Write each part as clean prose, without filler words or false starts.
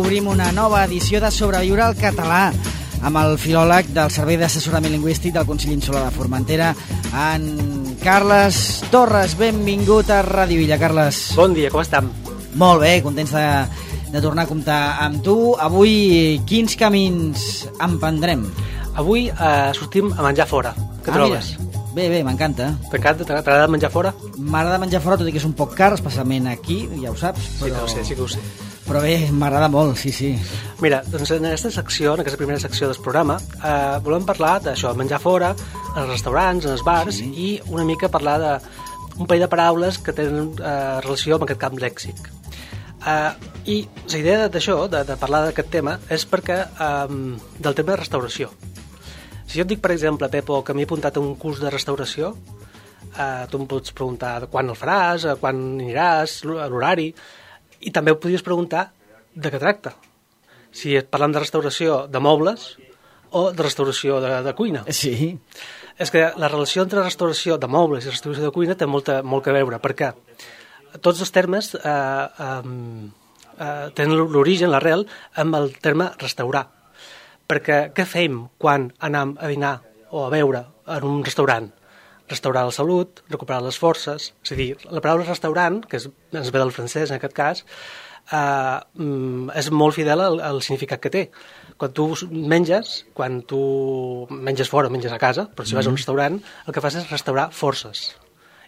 obrim una nova edició de Sobreviure al català amb el filòleg del Servei d'Assessorament Lingüístic del Consell Insular de Formentera, en Carles Torres. Benvingut a Ràdio Illa, Carles. Bon dia, com estem? Molt bé, contents de tornar a comptar amb tu. Avui, quins camins emprendrem? Avui sortim a menjar fora. Què trobes? Bé, m'encanta. T'agrada menjar fora? M'agrada menjar fora, tot i que és un poc car, especialment aquí, ja ho saps. Però... Sí que ho sé. Però bé, m'agrada molt, sí. Mira, doncs en aquesta secció, en aquesta primera secció del programa, volem parlar d'això, menjar fora, als restaurants, als bars, sí. I una mica parlar d'un parell de paraules que tenen relació amb aquest camp lèxic. I la idea d'això, de parlar d'aquest tema, és perquè del tema de restauració. Si jo et dic, per exemple, Pepo, que m'he apuntat a un curs de restauració, tu em pots preguntar quan el faràs, quan aniràs, l'horari, i també ho podries preguntar de què tracta. Si parlem de restauració de mobles o de restauració de cuina. Sí. És que la relació entre restauració de mobles i restauració de cuina té molt que veure, perquè tots els termes tenen l'origen, l'arrel, amb el terme restaurar. Perquè què fem quan anem a dinar o a beure en un restaurant? Restaurar la salut, recuperar les forces. És a dir, la paraula restaurant, que ens ve del francès en aquest cas, és molt fidel al significat que té. Quan tu menges fora, menges a casa, però si vas a un restaurant, el que fas és restaurar forces.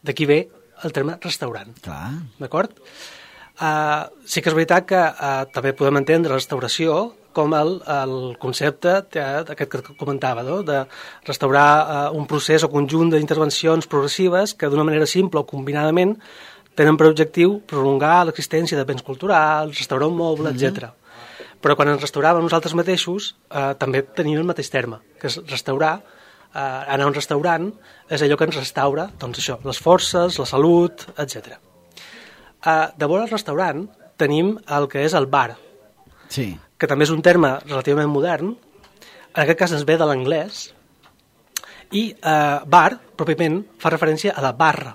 D'aquí ve el terme restaurant. Clar. D'acord? Sí que és veritat que també podem entendre restauració com el concepte aquest que comentava, no? De restaurar un procés o conjunt d'intervencions progressives que d'una manera simple o combinadament tenen per objectiu prolongar l'existència de béns culturals, restaurar un moble, etc. Però quan ens restauràvem nosaltres mateixos també tenim el mateix terme, que és restaurar. Anar a un restaurant és allò que ens restaura, doncs això, les forces, la salut, etc. De vora al restaurant tenim el que és el bar, sí, que també és un terme relativament modern, en aquest cas ens ve de l'anglès, i bar, pròpiament, fa referència a la barra,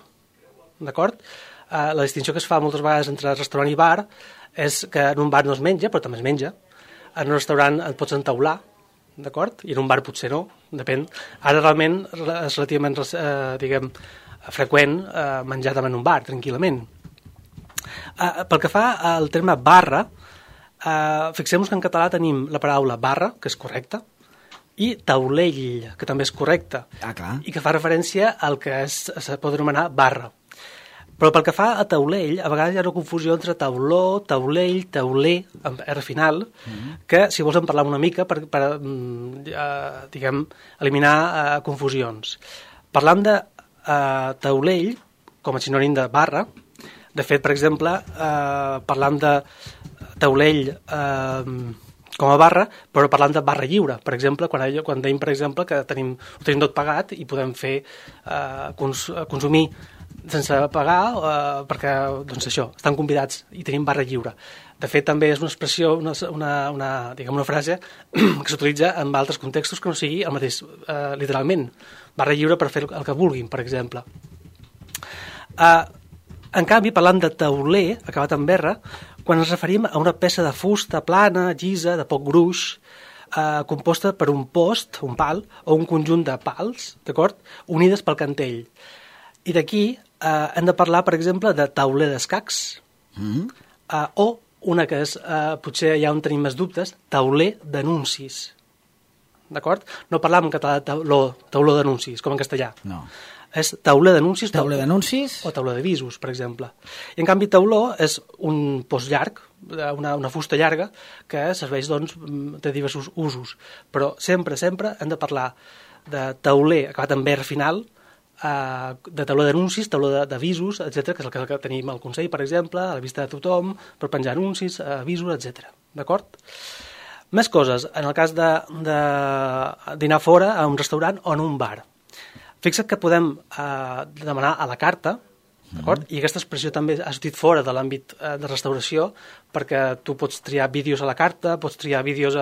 d'acord? La distinció que es fa moltes vegades entre restaurant i bar és que en un bar no es menja, però també es menja. En un restaurant et pots entaular, d'acord? I en un bar potser no, depèn. Ara realment és relativament, freqüent menjar també en un bar, tranquil·lament. Pel que fa al terme barra, fixem-nos que en català tenim la paraula barra, que és correcta, i taulell, que també és correcte, i que fa referència al que se pot anomenar barra. Però pel que fa a taulell, a vegades hi ha una confusió entre tauló, taulell, tauler, amb R final, que si vols en parlar una mica per eliminar confusions. Parlant de taulell com a sinònim de barra, de fet, per exemple, parlant de taulell com a barra, però parlant de barra lliure, per exemple, quan deim, per exemple, que ho tenim tot pagat i podem fer consumir sense pagar perquè, doncs això, estan convidats i tenim barra lliure. De fet, també és una expressió, una frase que s'utilitza en altres contextos que no sigui el mateix literalment. Barra lliure per fer el que vulguin, per exemple. En canvi, parlant de tauler, acabat en berra, quan ens referim a una peça de fusta plana, llisa, de poc gruix, composta per un post, un pal, o un conjunt de pals, d'acord?, unides pel cantell. I d'aquí hem de parlar, per exemple, de tauler d'escacs, o una que és, potser hi ha on tenim més dubtes, tauler d'anuncis. D'acord? No parlam en català de tauló d'anuncis, com en castellà. No. És tauler d'anuncis o tauler d'avisos, per exemple. I en canvi tauló és un post llarg, una fusta llarga, que serveix, doncs, de diversos usos. Però sempre hem de parlar de tauler acabat en ver final, de tauler d'anuncis, tauler d'avisos, etc., que és el que tenim al Consell, per exemple, a la vista de tothom, per penjar anuncis, avisos, etc. D'acord? Més coses, en el cas de dinar fora a un restaurant o en un bar. Fixa't que podem demanar a la carta, d'acord? I aquesta expressió també ha sortit fora de l'àmbit de restauració, perquè tu pots triar vídeos a la carta, pots triar vídeos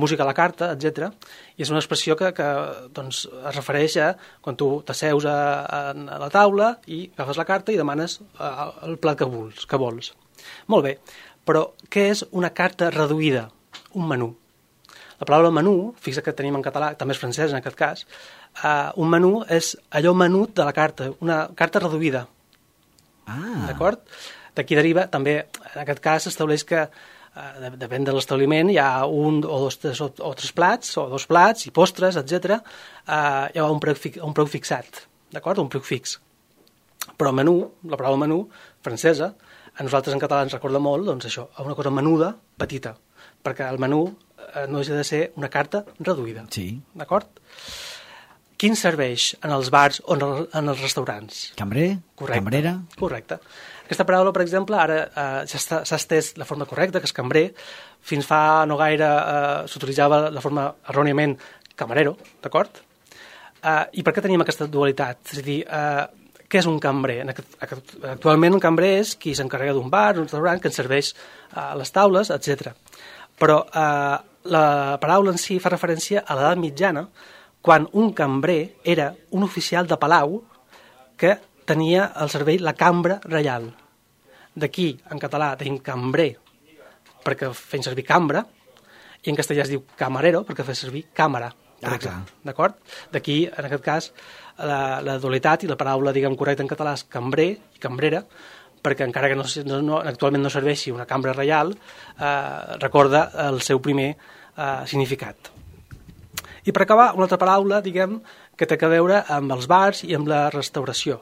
música a la carta, etc. I és una expressió que doncs, es refereix a quan tu t'asseus a la taula i agafes la carta i demanes el plat que vols. Molt bé, Però què és una carta reduïda? Un menú. La paraula menú, fixa que tenim en català, també és francès en aquest cas, un menú és allò menut de la carta, una carta reduïda. D'acord? D'aquí deriva, també, en aquest cas s'estableix que depèn de l'establiment, hi ha un o tres plats, o dos plats, i postres, etc. Hi ha un preu fixat, d'acord? Un preu fix. Però menú, la paraula menú, francesa, a nosaltres en català ens recorda molt, doncs això, una cosa menuda, petita, perquè el menú no deixa de ser una carta reduïda. Sí. D'acord? Quin serveix en els bars o en els restaurants? Cambrer? Correcte. Cambrera? Correcte. Aquesta paraula, per exemple, ara s'ha estès la forma correcta, que és cambrer. Fins fa no gaire s'utilitzava la forma erròniament camarero, d'acord? I per què tenim aquesta dualitat? És a dir, què és un cambrer? Actualment un cambrer és qui s'encarrega d'un bar, d'un restaurant, que ens serveix les taules, etc. Però la paraula en si fa referència a l'edat mitjana, quan un cambrer era un oficial de palau que tenia al servei la cambra reial. D'aquí, en català, tenim cambrer, perquè fem servir cambra, i en castellà es diu camarero, perquè fa servir càmera. D'acord? D'aquí, en aquest cas, la dualitat i la paraula, diguem, correcta en català és cambrer i cambrera, perquè encara que actualment no serveixi una cambra reial, recorda el seu primer significat. I per acabar, una altra paraula, diguem, que té a veure amb els bars i amb la restauració,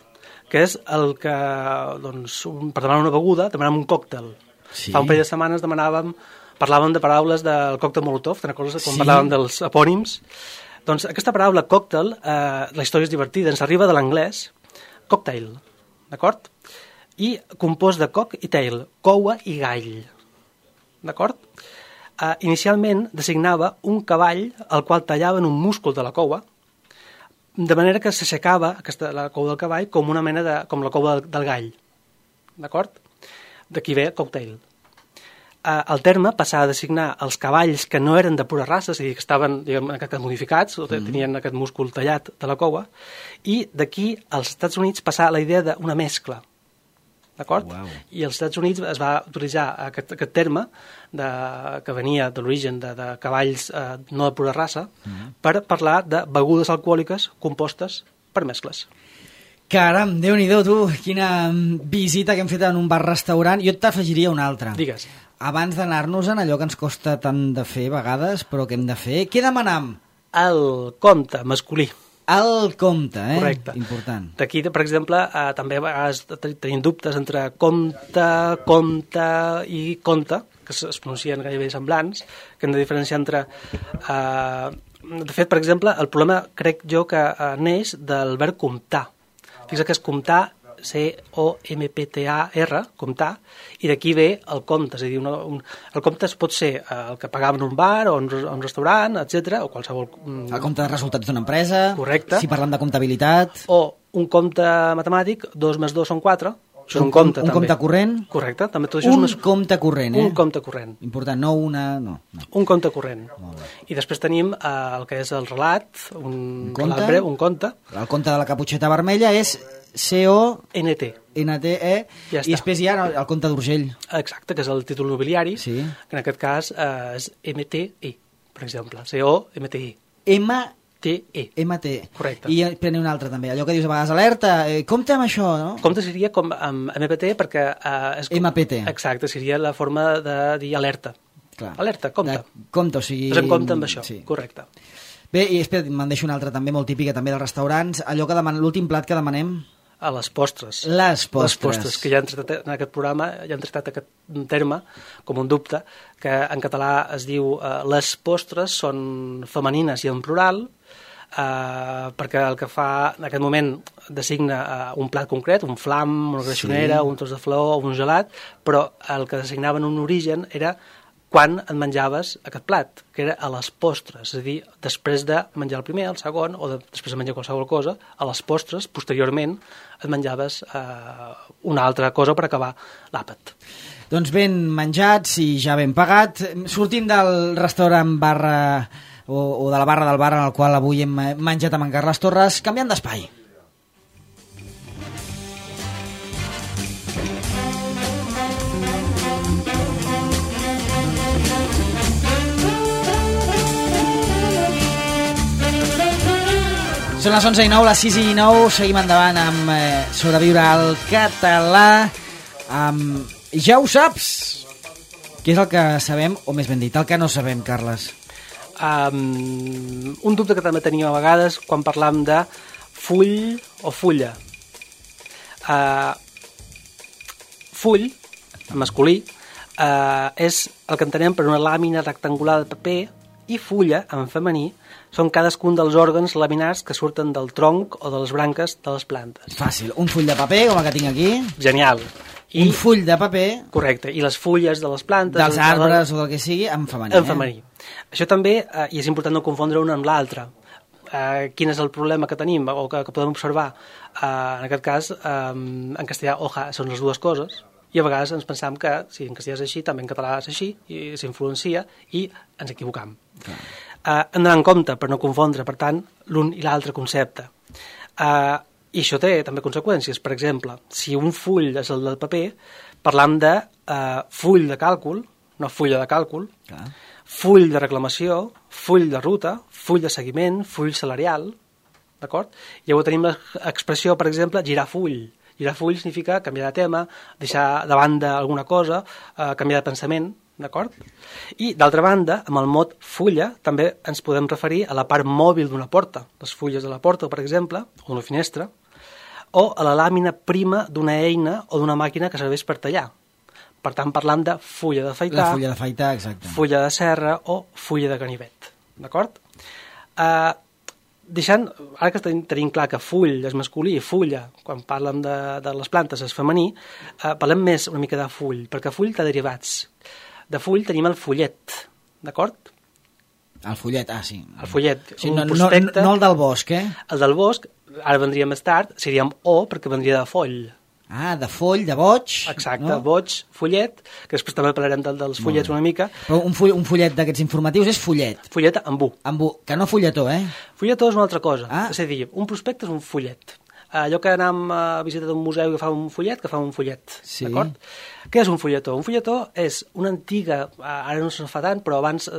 que és el que, doncs, per demanar una beguda, demanem un còctel. Sí. Fa un parell de setmanes parlàvem de paraules del còctel Molotov, te'n recordes quan parlàvem dels epònims? Doncs aquesta paraula còctel, la història és divertida, ens arriba de l'anglès cocktail, d'acord? I compost de cock i tail, coua i gall, d'acord? Inicialment designava un cavall al qual tallaven un múscul de la coua, de manera que s'aixecava la cou del cavall com una mena com la cou del gall, d'acord? D'aquí ve cocktail. El terme passava a designar els cavalls que no eren de pura raça, és a dir, que estaven, diguem, modificats, o tenien aquest múscul tallat de la coua, i d'aquí als Estats Units passava la idea d'una mescla, d'acord? Wow. I als Estats Units es va utilitzar aquest terme que venia de l'origen de cavalls no de pura raça per parlar de begudes alcohòliques compostes per mescles. Caram, Déu-n'hi-do, tu, quina visita que hem fet en un bar-restaurant. Jo t'afegiria una altra. Digues. Abans d'anar-nos en allò que ens costa tant de fer a vegades, però que hem de fer, què demanam? El compte masculí. El compte, Correcte. Important. D'aquí, per exemple, també a vegades tenim dubtes entre compte i compte, que es pronuncien gairebé semblants, que hem de diferenciar entre... De fet, per exemple, el problema crec jo que neix del verb comptar. Fixa que és comptar, C-O-M-P-T-A-R, comptar, i d'aquí ve el compte. És a dir, el compte pot ser el que pagàvem en un bar o en un restaurant, etc. o qualsevol... El compte de resultats d'una empresa. Correcte. Si parlem de comptabilitat. O un compte matemàtic, 2 més 2 són 4. Això és un compte, també. Un compte corrent. Correcte. També tot això és compte corrent, Un compte corrent. Important, no una... No. Un compte corrent. I després tenim el que és el relat, un relat breu, un conte. El conte de la caputxeta vermella és C-O-N-T. N-T-E. Ja I després hi ha el conte d'Urgell. Exacte, que és el títol nobiliari, sí. Que en aquest cas és M-T-I, per exemple. C-O-M-T-I. M-T-E. M-T-E. Correcte. I prene un altre també, allò que dius a vegades, alerta, compte amb això, no? Compte seria com amb MPT perquè... és MPT. Exacte, seria la forma de dir alerta. Clar. Alerta, compte. Compte, o sigui... Pues en compte amb això, sí. Correcte. Bé, i espera, me'n deixo una altra també, molt típica també dels restaurants, allò que l'últim plat que demanem... A les postres. Les postres. Les postres, que ja hem tractat en aquest programa, ja hem tractat aquest terme com un dubte, que en català es diu les postres són femenines i en plural, perquè el que fa en aquest moment designa un plat concret, un flam, una greixonera, un tros de flor o un gelat, però el que designava en un origen era quan et menjaves aquest plat, que era a les postres, és a dir, després de menjar el primer, el segon, o després de menjar qualsevol cosa, a les postres, posteriorment, et menjaves una altra cosa per acabar l'àpat. Doncs ben menjats i ja ben pagat, sortim del restaurant barra o de la barra del bar en el qual avui hem menjat amb en Carles Torres, canviant d'espai. Són les 11:09, les 6:09, seguim endavant amb Sobreviure al català. Ja ho saps! Què és el que sabem, o més ben dit, el que no sabem, Carles? Un dubte que també teníem a vegades quan parlam de full o fulla. Full, en masculí, és el que entenem per una làmina rectangular de paper, i fulla, en femení, són cadascun dels òrgans laminars que surten del tronc o de les branques de les plantes. Fàcil. Un full de paper, com el que tinc aquí. Genial. Un full de paper. Correcte. I les fulles de les plantes... Dels arbres o del que sigui, en femení. En femení. Això també, i és important no confondre un amb l'altre. Quin és el problema que tenim o que podem observar? En aquest cas, en castellà, hoja, són les dues coses, i a vegades ens pensam que si en castellà és així, també en català és així, i s'influencia, i ens equivocam. Hem d'anar en compte per no confondre, per tant, l'un i l'altre concepte. I això té també conseqüències. Per exemple, si un full és el del paper, parlam de full de càlcul, no fulla de càlcul, full de reclamació, full de ruta, full de seguiment, full salarial, d'acord? Llavors tenim l'expressió, per exemple, girar full. Girar full significa canviar de tema, deixar de banda alguna cosa, canviar de pensament, d'acord? I, d'altra banda, amb el mot fulla també ens podem referir a la part mòbil d'una porta, les fulles de la porta, per exemple, o d'una finestra, o a la làmina prima d'una eina o d'una màquina que serveix per tallar. Per tant, parlam de fulla d'afaitar, la fulla d'afaitar, exacte. Fulla de serra o fulla de ganivet, d'acord? Deixant, ara que tenim clar que full és masculí i fulla, quan parlem de les plantes, és femení, parlem més una mica de full, perquè full té derivats. De full tenim el fullet, d'acord? El fullet, sí. El fullet, sí, no el del bosc, El del bosc, ara vendria més tard, seria amb O, perquè vendria de foll. De foll, de boig. Exacte, no? Boig, follet, que després també parlarem dels fullets una mica. Però un follet d'aquests informatius és follet. Follet amb U. Amb U, que no folletó, Folletó és una altra cosa. És a dir, un prospecte és un follet. Allò que anàvem a visitar un museu i agafàvem un follet, que fa un follet, d'acord? Què és un folletó? Un folletó és una antiga, ara no se fa tant, però abans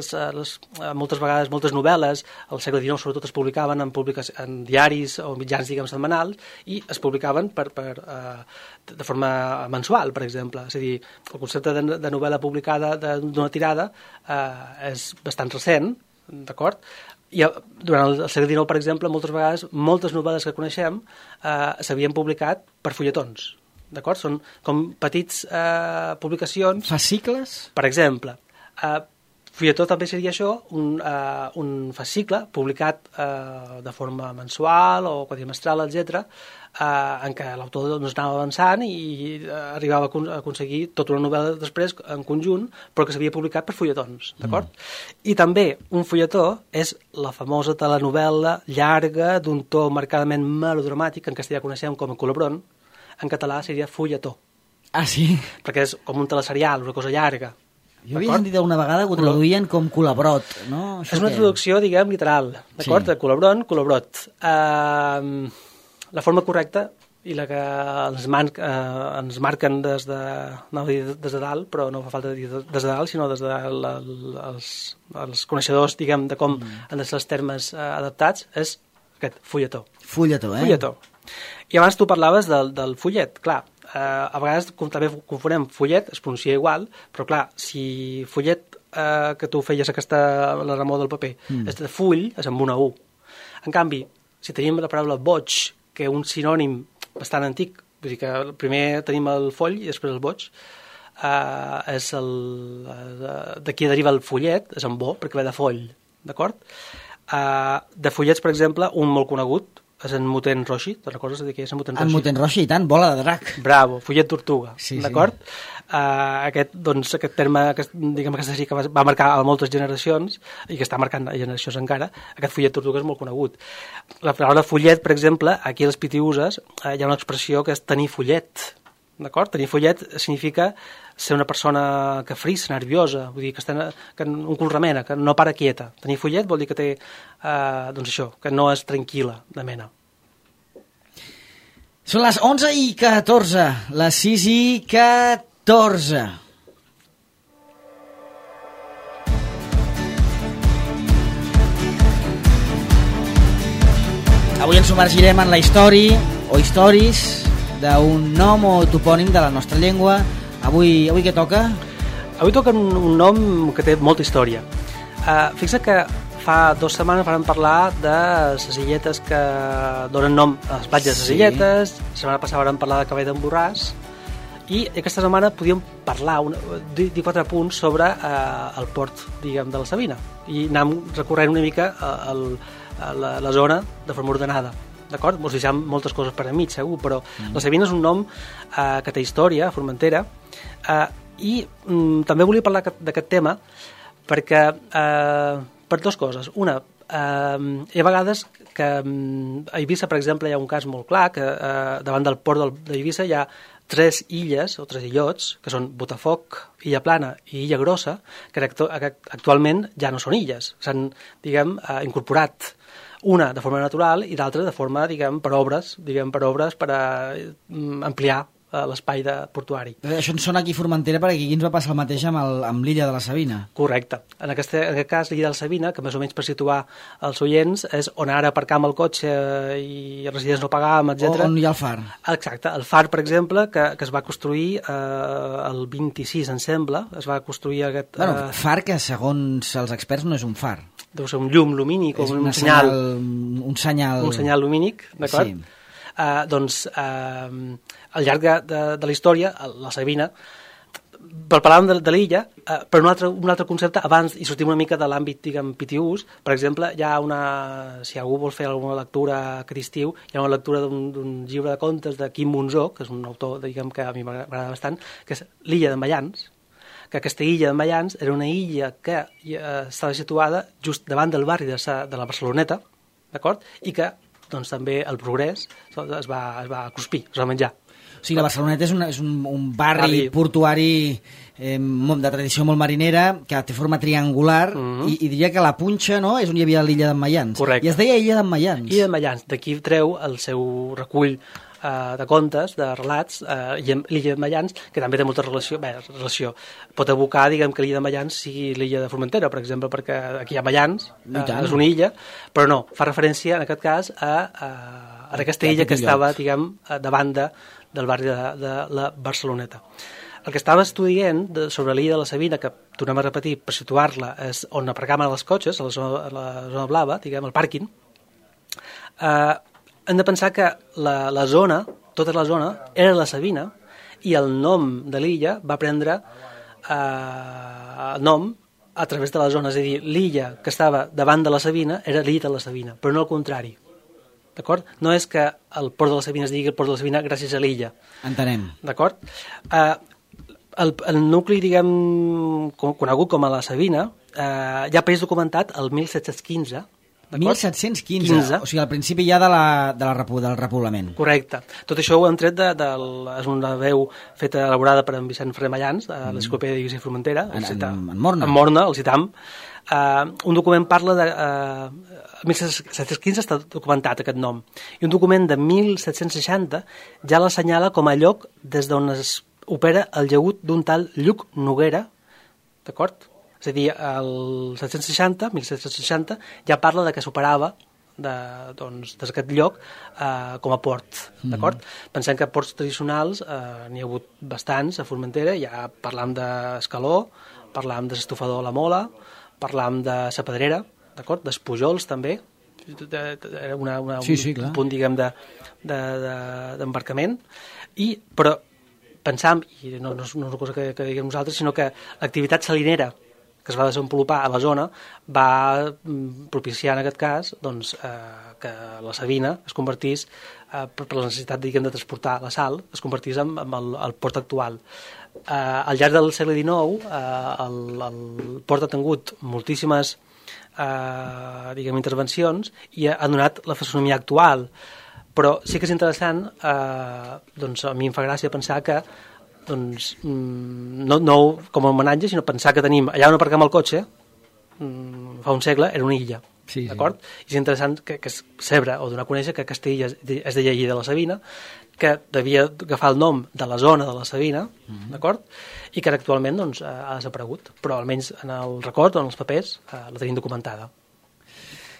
moltes vegades, moltes novel·les, al segle XIX sobretot es publicaven en diaris o mitjans, diguem, setmanals, i es publicaven de forma mensual, per exemple. És a dir, el concepte de novel·la publicada d'una tirada és bastant recent, d'acord? I durant el segle XIX, per exemple, moltes vegades, moltes novel·les que coneixem s'havien publicat per fulletons, d'acord? Són com petits publicacions... Fascicles? Per exemple, fulletó també seria això, un fascicle publicat de forma mensual o quadrimestral, etc., en què l'autor anava avançant i arribava a aconseguir tota una novel·la després en conjunt, però que s'havia publicat per fulletons, d'acord? I també un fulletó és la famosa telenovel·la llarga d'un to marcadament melodramàtic, en castellà coneixem com a culebrón, en català seria fulletó. Sí? Perquè és com un teleserial, una cosa llarga. Jo havia sentit una vegada que ho traduïen com culebrot, no? És una traducció, diguem, literal, d'acord? De culebrón, culebrot. La forma correcta i la que ens marquen des de dalt, però no fa falta dir des de dalt, sinó des dels coneixedors, diguem, de com han de ser els termes adaptats, és aquest, fulletó. Fulletó, Fulletó. I abans tu parlaves del fullet, clar. A vegades també confonem fullet, es pronuncia igual, però clar, si fullet que tu feies la remor del paper és de full, és amb una U. En canvi, si tenim la paraula boig, que un sinònim bastant antic, vull dir que primer tenim el foll i després el boig, d'aquí deriva el fullet, és amb bo, perquè ve de foll, d'acord? De fullets, per exemple, un molt conegut, és en Muten Roshi, te'n recordes de què és en Muten Roshi? En Muten Roshi, i tant, bola de drac. Bravo, fullet tortuga, sí, d'acord? Aquest terme, diguem, aquesta sèrie que va marcar a moltes generacions i que està marcant generacions encara, aquest fullet tortuga és molt conegut. La paraula fullet, per exemple, aquí a les Pitiüses hi ha una expressió que és tenir follet, d'acord? Tenir follet significa ser una persona que frissa, nerviosa, vull dir, que un cul remena, que no para quieta. Tenir follet vol dir que té, doncs això, que no és tranquil·la de mena. Són les 11:14, les 6:14. Avui ens submergirem en la història o històries d'un nom o topònim de la nostra llengua. Avui què toca? Avui toca un nom que té molta història. Fixa que fa 2 setmanes vam parlar de les illetes que donen nom a les platges de les illetes. La setmana passada vam parlar de Cavall d'en Borràs. I aquesta setmana podíem parlar, dir 4 punts sobre el port, diguem, de la Sabina. I anàvem recorrent una mica la zona de forma ordenada. D'acord? Us deixem moltes coses per enmig, segur, però la Sabina és un nom que té història, a Formentera, i també volia parlar d'aquest tema perquè per 2 coses. Una, hi ha vegades que a Eivissa, per exemple, hi ha un cas molt clar, que davant del port d'Eivissa hi ha 3 illes o 3 illots, que són Botafoc, Illa Plana i Illa Grossa, que actualment ja no són illes. S'han, diguem, incorporat una de forma natural i l'altra de forma, diguem, per obres per ampliar l'espai portuari. Això ens sona aquí a Formentera perquè aquí ens va passar el mateix amb l'illa de la Sabina. Correcte. En aquest cas, l'illa de la Sabina, que més o menys per situar els oients, és on ara aparcam el cotxe i els residents no pagam, etc. O on hi ha el far. Exacte. El far, per exemple, que es va construir el 26, em sembla, es va construir aquest... Far que, segons els experts, no és un far. Deu ser un llum lumínic o un senyal. Un senyal lumínic, d'acord? Sí. Al llarg de la història, la Sabina, parlàvem de l'illa, però un altre concepte, abans, i sortim una mica de l'àmbit, diguem, pitiús, per exemple, hi ha si algú vol fer alguna lectura aquest estiu, hi ha una lectura d'un llibre de contes de Quim Monzó, que és un autor, diguem, que a mi m'agrada bastant, que és l'illa de Mayans, que aquesta illa de Mayans era una illa que estava situada just davant del barri de la Barceloneta, d'acord? I que doncs també el progrés es va cruspir, es va menjar. O sigui, la Barceloneta és un barri portuari de tradició molt marinera, que té forma triangular, i diria que la Punxa, no?, és on hi havia l'illa d'en Mayans. Correcte. I es deia illa d'en Mayans. Illa d'en Mayans, d'aquí treu el seu recull de contes, de relats, l'illa de Mayans, que també té molta relació. Pot evocar, diguem, que l'illa de Mayans sigui l'illa de Formentera, per exemple, perquè aquí hi ha Mayans, és una illa, però no, fa referència, en aquest cas, a aquesta illa que estava, diguem, davant del barri de la Barceloneta. El que estava estudiant sobre l'illa de la Sabina, que tornem a repetir, per situar-la, és on aparcaven els cotxes, a la zona blava, diguem, el pàrquing, hem de pensar que la zona, tota la zona, era la Sabina, i el nom de l'illa va prendre nom a través de la zona, és a dir, l'illa que estava davant de la Sabina era l'illa de la Sabina, però no al contrari. D'acord? No és que el port de la Sabina es digui el port de la Sabina gràcies a l'illa. Entenem. D'acord? El nucli, diguem, conegut com a la Sabina, ja apareix documentat el 1715, 1715, o sigui, al principi ja del repoblament. Correcte. Tot això ho hem tret és una veu feta, elaborada per en Vicent Ferrer Mayans, a l'Enciclopèdia d'Eivissa i Formentera. En Morna. En Morna, el citam. Un document parla de... 1715 està documentat aquest nom. I un document de 1760 ja l'assenyala com a lloc des d'on es opera el llagut d'un tal Lluc Noguera, d'acord? És a dir, el 1760 ja parla de que s'operava des d'aquest lloc com a port, d'acord? Pensem que ports tradicionals n'hi ha hagut bastants a Formentera, ja parlam d'Escaló, parlam d'Estofador a la Mola, parlam de Sa Pedrera, d'acord? D'Espujols també, era un punt, diguem, d'embarcament, però pensam, i no és una cosa que diguem nosaltres, sinó que l'activitat salinera que es va desenvolupar a la zona va propiciar en aquest cas que la Sabina es convertís, per la necessitat, diguem, de transportar la sal, es convertís en el port actual. Al llarg del segle XIX el port ha tingut moltíssimes intervencions i ha donat la fisonomia actual, però sí que és interessant, a mi em fa gràcia pensar que no com a homenatge, sinó pensar que tenim allà on aparquem el cotxe fa un segle era una illa, d'acord? I és interessant que saber o donar a conèixer que aquesta illa es deia Illa de la Sabina, que devia agafar el nom de la zona de la Sabina, d'acord? I que actualment ha desaparegut, però almenys en el record o en els papers la tenim documentada.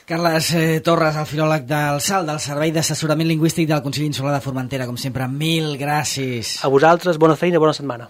Carles Torres, el filòleg del SAL, del Servei d'Assessorament Lingüístic del Consell Insular de Formentera. Com sempre, mil gràcies. A vosaltres, bona feina i bona setmana.